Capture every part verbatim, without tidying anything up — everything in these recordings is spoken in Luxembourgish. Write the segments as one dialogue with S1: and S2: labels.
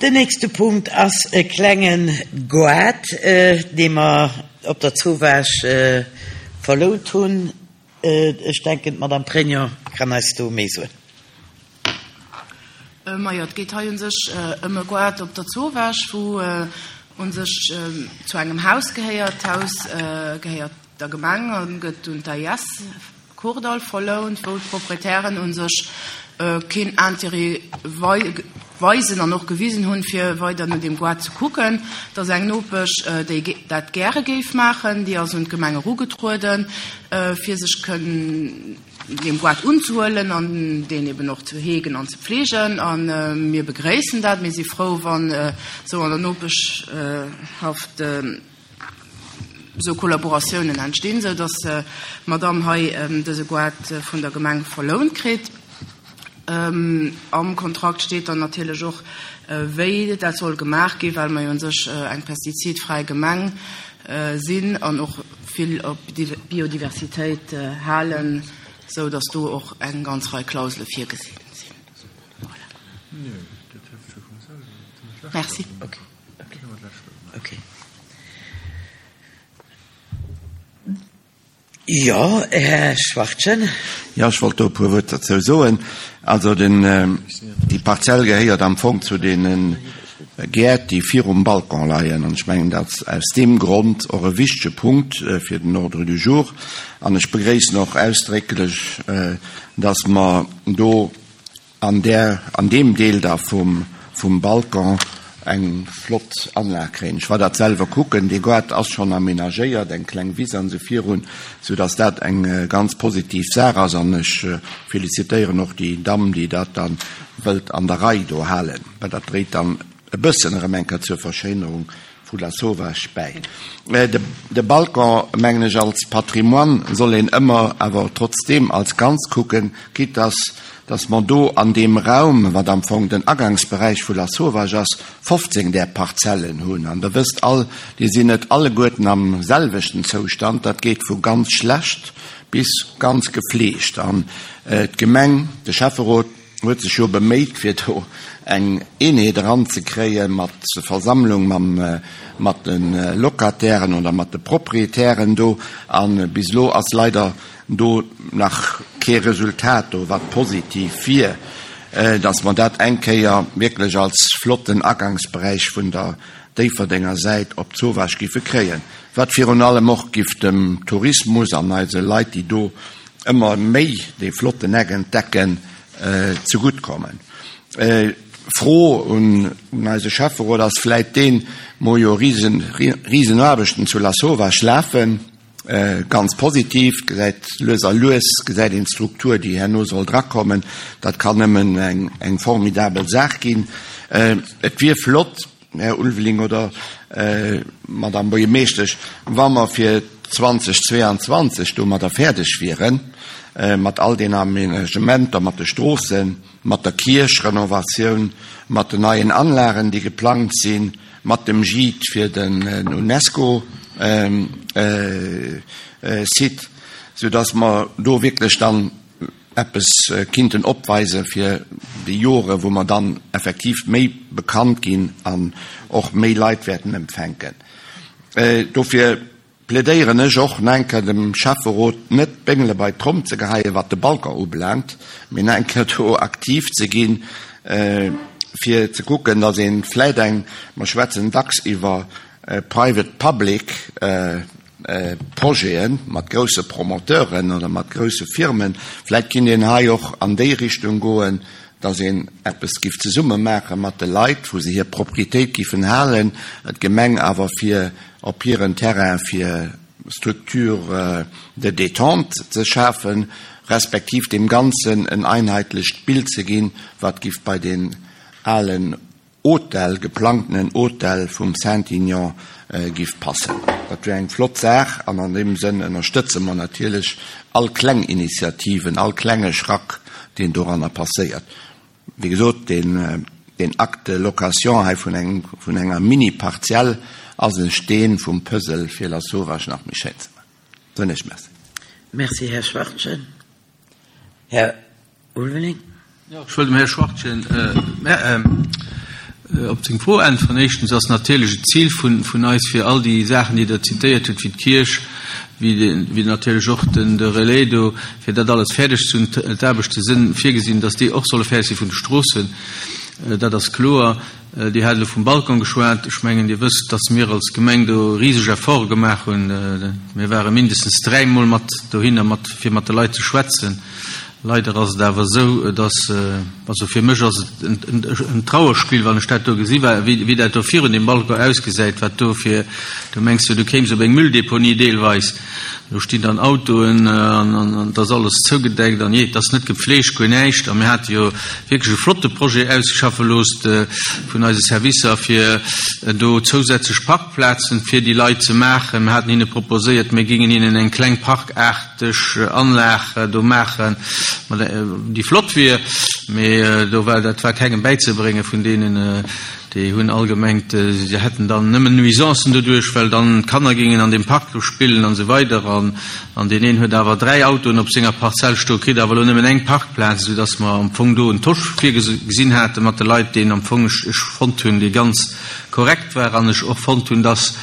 S1: Den nächste Punkt ass e klenge Goart, dee mer op der Zowaasch verlount hunn. Ech denken, d'Madame Pregno kann eis do méi soen.
S2: Majo, et geet hei u sech ëm e Goart op der Zowaasch, wou u sech zu engem Haus gehéiert. D'Haus gehéiert der Gemeng a gëtt un d'AIS Kordall verlount, wou d'Proprietären u sech keen Intérêt weisen an och gewisen hunn, fir weider no deem Goart ze kucken. Et ass eng Nopesch, déi dat gäre géif maachen, déi ass un d'Gemeng erugetrueden, fir sech kënnen deem Goart unzehuelen an deen eben och ze heegen an ze pflegen. A mir begréissen dat. Mir si frou, wann esou an der Nopeschhaft esou Kollaboratiounen entstinn, esou datt d'Madame hei dëse Goart vun der Gemeng verlount kritt. Am Kontrakt steet dann natierlech och, wéi dat soll gemaach ginn, well mer jo un sech eng pestizidfräi Gemeng sinn an och vill op Biodiversitéit halen, esou datt do och eng ganz Rei Klausele virgesinn sinn. Voilà. Merci.
S1: Okay. Jo, Här Schwachtgen.
S3: Jo, ech wollt do e puer Wuert derzou soen. Also den, déi Parzell gehéiert am Fong zu deene Gäert, déi virum Balcon leien. An ech mengen, dat ass aus deem Grond och e wichtege Punkt fir den Ordre du jour. An ech begréissen och ausdrécklech, dass mer do an där, an deem Deel da vum, vum Balcon eng flott Anlag kréien. Ech war dat selwer kucken, dee Goart ass schonn aménagéiert, eng kleng Wiss an esou virun, soudass dat eng ganz positiv Saach ass. An ech félicitéieren och déi Damm, déi dat da wëllt an der Rei do halen, well dat dréit dann e bëssen erëm eng Kéier zur Verschéinerung vu Lasauvage bäi. De Balcon, mengen ech, als Patrimoine soll een ëmmer awer trotzdeem als Ganz kucken, quitte dass dass mer do an deem Raum, wat am Fong den Agangsberäich vu Lasauvage ass, fofzéng där Parzellen hunn. An Der wësst all, déi sinn net alleguerten am selwechten Zoustand. Dat geet vu ganz schlecht bis ganz gefleegt. An d'Gemeng, de Schäfferot huet sech jo beméit, fir do eng Eenheet eranzekréie mat Versammlung mam, mat de Locatairen oder mat de Proprietären do. A bis elo ass leider do nach kee Resultat do, wat positiv wier, dass mer dat eng Kéier wierklech als flotten Agangsberäich vun der Déifferdenger Säit op d'Zowaasch giffe kréien, wat virun allem och giff dem Tourismus an eise Leit, déi do ëmmer méi dee flotten Eck entdecken, zegutt kommen. Fro un eise Schäfferot ass vläit deen, Mer hu jo risen, Risenaarbechten zu Lasauvage lafen. Ganz positiv, gesäit lues a lues gesäit een d'Struktur, déi herno soll drakommen. Dat kann nëmmen eng, eng formidabel Saach ginn. Et wier flott, Här Ulveling oder Madame Buergermeeschtesch, wa mer fir zweitausendzweiundzwanzeg domadder fäerdeg wieren, mat all den Aménagementer, mat de Stroossen, mat der Kierchrenovatioun, mat den neien Anlagen, déi geplangt sinn, mat dem Gîte fir den UNESCO-Site, soudass mer do wierklech dann eppes kinnten opweise fir déi Jore wou mer dann effektiv méi bekannt ginn an och méi Leit wäerten empfänken. Dofir plädéieren ech och nach eng Kéier dem Schäfferot, net d'Béngele bei d'Tromm ze geheien, wat de Balcon ubelaangt, mee nach eng Kéier do aktiv ze ginn, fir ze kucken, datt ee vläit eng, mer schwätzen dacks iwwer private-public Projete mat grousse Promoteuren oder mat grousse Firmen, vläit kinnt een hei och an déi Richtung goen, datt een eppes giff zesumme maache mat de Leit, wou se hir Proprietéit giffen halen, d'Gemeng awer fir op hiren Terrain fir Structures de détente ze schafen, respektiv deem Ganzen en einheitlecht Bild ze ginn, wat giff bei deen alen Hotel, geplangtenen Hotel vum Saint-Aignan giff passen. Dat wär eng flott Saach an an deem Sënn ënnerstëtze mer natierlech all kleng Initiativen, all klenge Schrack, deen doranner passéiert. Wéi gesot, deen, deen Acte de location hei vun engem, vun enger Mini-Parzell ass e Steen vum Puzzle fir Lasauvage nach méi schéin ze maachen. Soen ech Merci.
S1: Merci, Här Schwachtgen. Här Ulveling.
S4: Jo, ech wëll dem Här Schwachtgen Op seng Fro äntweren. Éischtens ass natierlech et d'Zil vun, vun eis, fir all déi Saachen, déi Der zitéiert hutt, wéi d'Kierch, wéi de, wéi natierlech och den, de Relais do, fir dat alles fäerdeg ze hunn. D'Aarbechte si virgesinn, dass déi och solle fäerdeg si vun de Stroossen. Dat ass kloer. Dir hat elo vum Balcon geschwat. Ech mengen, Dir wësst, dass mir als Gemeng do riseg Efforte gemaach hunn. Mir ware mindestens dräimol mat dohinner, mat, fir mat de Leit ze schwätzen. Leider ass et awer esou, dass, also fir mech ass et en Trauerspill, wann ech dat do gesi wéi dat do virun deem Balcon ausgesäit, wat do fir, do mengs du, du kéims op eng Mülldeponie deelweis. Do stinn dann Autoen an et ass alles zougedeckt an jee, et ass net gepflegt, guer näischt. A mir hate jo wierklech e flotte Projet ausschaffe loosst vun eise Servicer, fir do zousätzlech Parkplazen fir déi Leit ze maachen. Mir haten hinne proposéiert, mir géingen hinnen eng kleng parkaarteg Anlag do maachen, déi flott wier, mee do war, dat war kengem bäizebrénge vun deenen, déi hunn all gemengt, se hätten dann nëmmen Nuisancen doduerch, well dann d'Kanner géingen an deem Park do spillen an esou weider. An, an deen een huet awer dräi Autoen op senger Parzell stoen, kritt awer elo nëmmen eng Parkplaz, esou dass mer am Fong do en Tosch virgesinn hate mat de Leit, deen am Fong ech, ech fonnt hunn, dee ganz korrekt war an ech och fonnt hunn, dass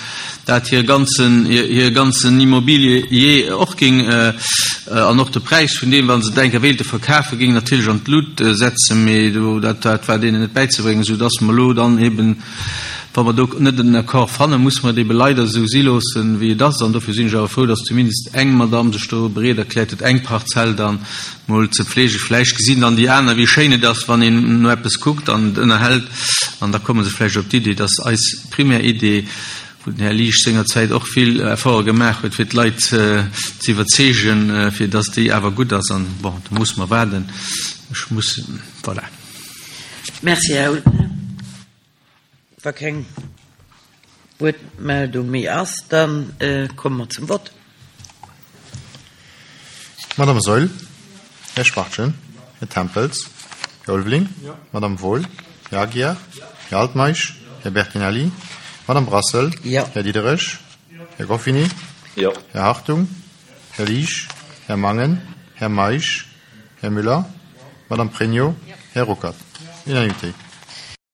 S4: dat hir ganzen, hir ganzen Immobilie och géing, an och de Präis vun deem, wa se et eng Kéier wéilte verkafen, géing natierlech an d'Lut setzen, mee do, dat, dat war deenen net bäizebréngen, esou dass mer elo dann eben, wa mer do net en Accord fannen, muss mer et ebe leider esou si loossen, wéi et ass. An dofir sinn ech awer frou, dass zumindest eng Madame sech do bereet erkläert huet, eng Parzell dann mol ze pflegen. Vläicht gesinn dann déi aner, wéi schéin et ass, wann een no eppes kuckt an et ënnerhält, an da komme se vläicht op d'Idee, dass eis primär Idee, wou den Här Liesch sengerzäit och vill Efforte gemaach huet, fir d'Leit ze iwwerzeegen, fir dass déi awer gutt ass. An bon, do muss mer waarden. Ech muss, voilà.
S1: Merci, Här Ultner. Wa keng Wuertmeldung méi ass, da komme mer zum Vott.
S5: Madame Saeul, Här Schwachtgen, Här Tempels, Här Ulveling, Madame Wohl, Här Aguiar, Här Altmeisch, Här Bertinelli, Madame Brassel,
S1: Ja.
S5: Här Diderich, Här Goffini,
S6: Ja.
S5: Här Hartung, Här Liesch, Här Mangen, Här Meisch, Här Müller, Madame Pregno, Här Ruckert. Unanimité.